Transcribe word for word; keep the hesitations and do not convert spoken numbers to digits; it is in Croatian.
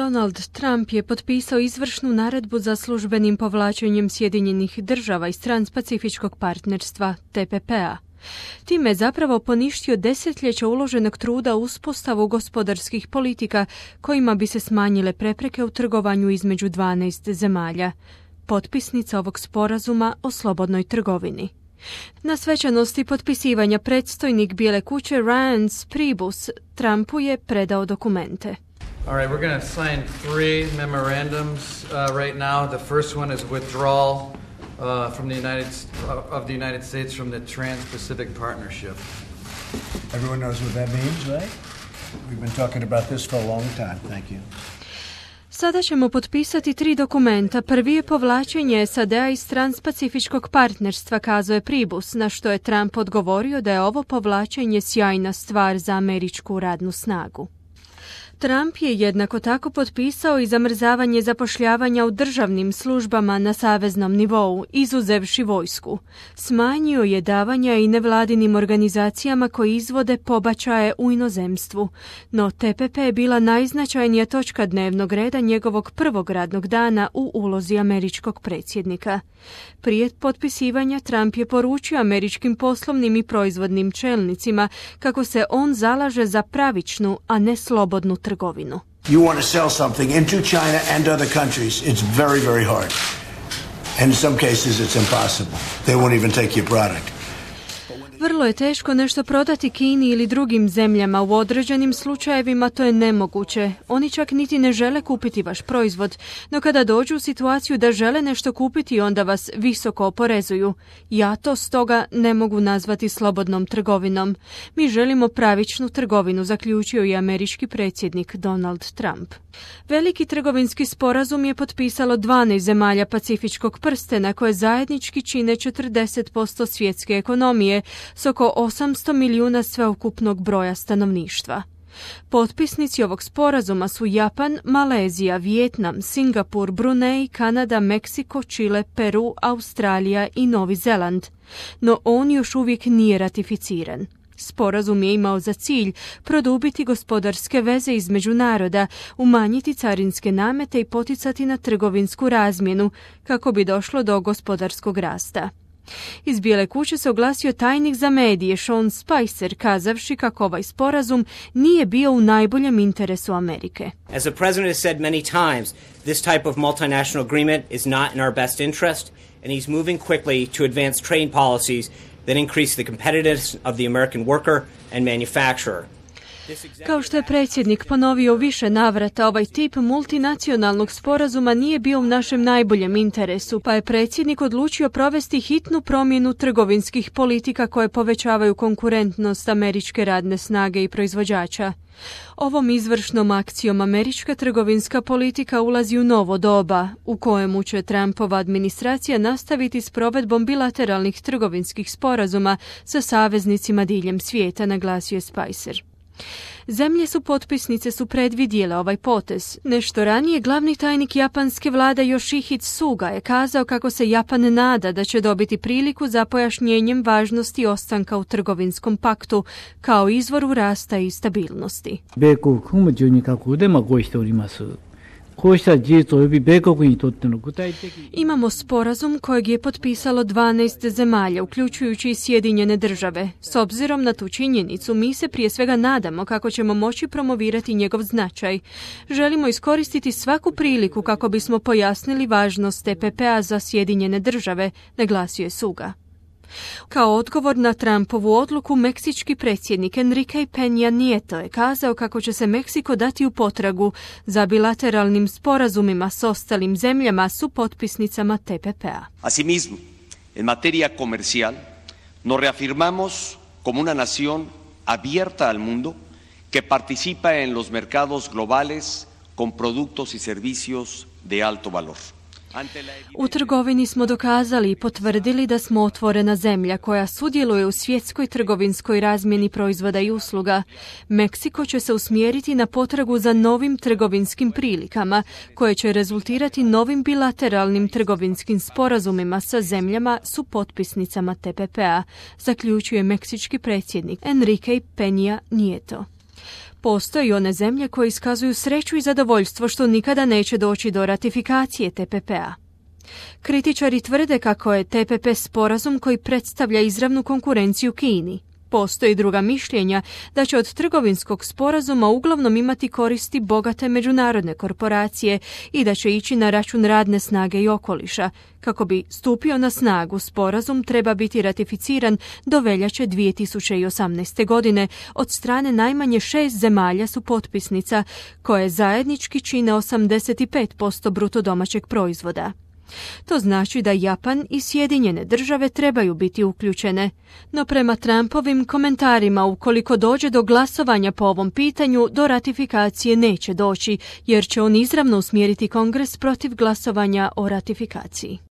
Donald Trump je potpisao izvršnu naredbu za službenim povlačenjem Sjedinjenih država iz Transpacifičkog partnerstva T P P-a. Time je zapravo poništio desetljeća uloženog truda u uspostavu gospodarskih politika kojima bi se smanjile prepreke u trgovanju između dvanaest zemalja, potpisnica ovog sporazuma o slobodnoj trgovini. Na svečanosti potpisivanja predstojnik Bijele kuće Reince Priebus Trumpu je predao dokumente. All right, we're going to sign three memorandums uh, right now. The first one is withdrawal uh, from the United uh, of the United States from the Trans-Pacific Partnership. Everyone knows what that means, right? We've been talking about this for a long time. Thank you. Sada ćemo potpisati tri dokumenta. Prvi je povlačenje S A D-a iz Transpacifičkog partnerstva, kazao je Priebus, na što je Trump odgovorio da je ovo povlačenje sjajna stvar za američku radnu snagu. Trump je jednako tako potpisao i zamrzavanje zapošljavanja u državnim službama na saveznom nivou, izuzevši vojsku. Smanjio je davanja i nevladinim organizacijama koji izvode pobačaje u inozemstvu, no T P P je bila najznačajnija točka dnevnog reda njegovog prvog radnog dana u ulozi američkog predsjednika. Prije potpisivanja Trump je poručio američkim poslovnim i proizvodnim čelnicima kako se on zalaže za pravičnu, a ne slobodnu trgovinu. You want to sell something into China and other countries, it's very, very hard. And in some cases it's impossible. They won't even take your product. Vrlo je teško nešto prodati Kini ili drugim zemljama. U određenim slučajevima to je nemoguće. Oni čak niti ne žele kupiti vaš proizvod, no kada dođu u situaciju da žele nešto kupiti, onda vas visoko oporezuju. Ja to stoga ne mogu nazvati slobodnom trgovinom. Mi želimo pravičnu trgovinu, zaključio je američki predsjednik Donald Trump. Veliki trgovinski sporazum je potpisalo dvanaest zemalja Pacifičkog prstena koje zajednički čine četrdeset posto svjetske ekonomije s oko osamsto milijuna sveukupnog broja stanovništva. Potpisnici ovog sporazuma su Japan, Malezija, Vijetnam, Singapur, Brunei, Kanada, Meksiko, Čile, Peru, Australija i Novi Zeland, no on još uvijek nije ratificiran. Sporazum je imao za cilj produbiti gospodarske veze između naroda, umanjiti carinske namete i poticati na trgovinsku razmjenu kako bi došlo do gospodarskog rasta. Iz Bijele kuće se oglasio tajnik za medije Sean Spicer, kazavši kako ovaj sporazum nije bio u najboljem interesu Amerike. As the president has said many times, this type of multinational agreement is not in our best interest, and he's moving quickly to advance trade policies that increase the competitiveness of the American worker and manufacturer. Kao što je predsjednik ponovio u više navrata, ovaj tip multinacionalnog sporazuma nije bio u našem najboljem interesu, pa je predsjednik odlučio provesti hitnu promjenu trgovinskih politika koje povećavaju konkurentnost američke radne snage i proizvođača. Ovom izvršnom akcijom američka trgovinska politika ulazi u novo doba, u kojemu će Trumpova administracija nastaviti s provedbom bilateralnih trgovinskih sporazuma sa saveznicima diljem svijeta, naglasio je Spicer. Zemlje su potpisnice su predvidjele ovaj potez. Nešto ranije glavni tajnik japanske vlade Yoshihide Suga je kazao kako se Japan nada da će dobiti priliku za pojašnjenjem važnosti ostanka u trgovinskom paktu kao izvoru rasta i stabilnosti. Imamo sporazum kojeg je potpisalo dvanaest zemalja, uključujući i Sjedinjene države. S obzirom na tu činjenicu, mi se prije svega nadamo kako ćemo moći promovirati njegov značaj. Želimo iskoristiti svaku priliku kako bismo pojasnili važnost T P P-a za Sjedinjene države, naglasio je Suga. Kao odgovor na Trumpovu odluku, meksički predsjednik Enrique Peña Nieto je kazao kako će se Meksiko dati u potragu za bilateralnim sporazumima s ostalim zemljama su potpisnicama T P P-a. Asimismo, en materia comercial, nos reafirmamos como una nación abierta al mundo que participa en los mercados globales con productos y servicios de alto valor. U trgovini smo dokazali i potvrdili da smo otvorena zemlja koja sudjeluje u svjetskoj trgovinskoj razmjeni proizvoda i usluga. Meksiko će se usmjeriti na potragu za novim trgovinskim prilikama koje će rezultirati novim bilateralnim trgovinskim sporazumima sa zemljama su potpisnicama T P P-a, zaključuje meksički predsjednik Enrique Peña Nieto. Postoje one zemlje koje iskazuju sreću i zadovoljstvo što nikada neće doći do ratifikacije T P P-a. Kritičari tvrde kako je T P P sporazum koji predstavlja izravnu konkurenciju Kini. Postoji druga mišljenja da će od trgovinskog sporazuma uglavnom imati koristi bogate međunarodne korporacije i da će ići na račun radne snage i okoliša. Kako bi stupio na snagu, sporazum treba biti ratificiran do veljače dvije tisuće osamnaeste. godine od strane najmanje šest zemalja su potpisnica, koje zajednički čine osamdeset pet posto bruto domaćeg proizvoda. To znači da Japan i Sjedinjene države trebaju biti uključene. No prema Trumpovim komentarima, ukoliko dođe do glasovanja po ovom pitanju, do ratifikacije neće doći, jer će on izravno usmjeriti Kongres protiv glasovanja o ratifikaciji.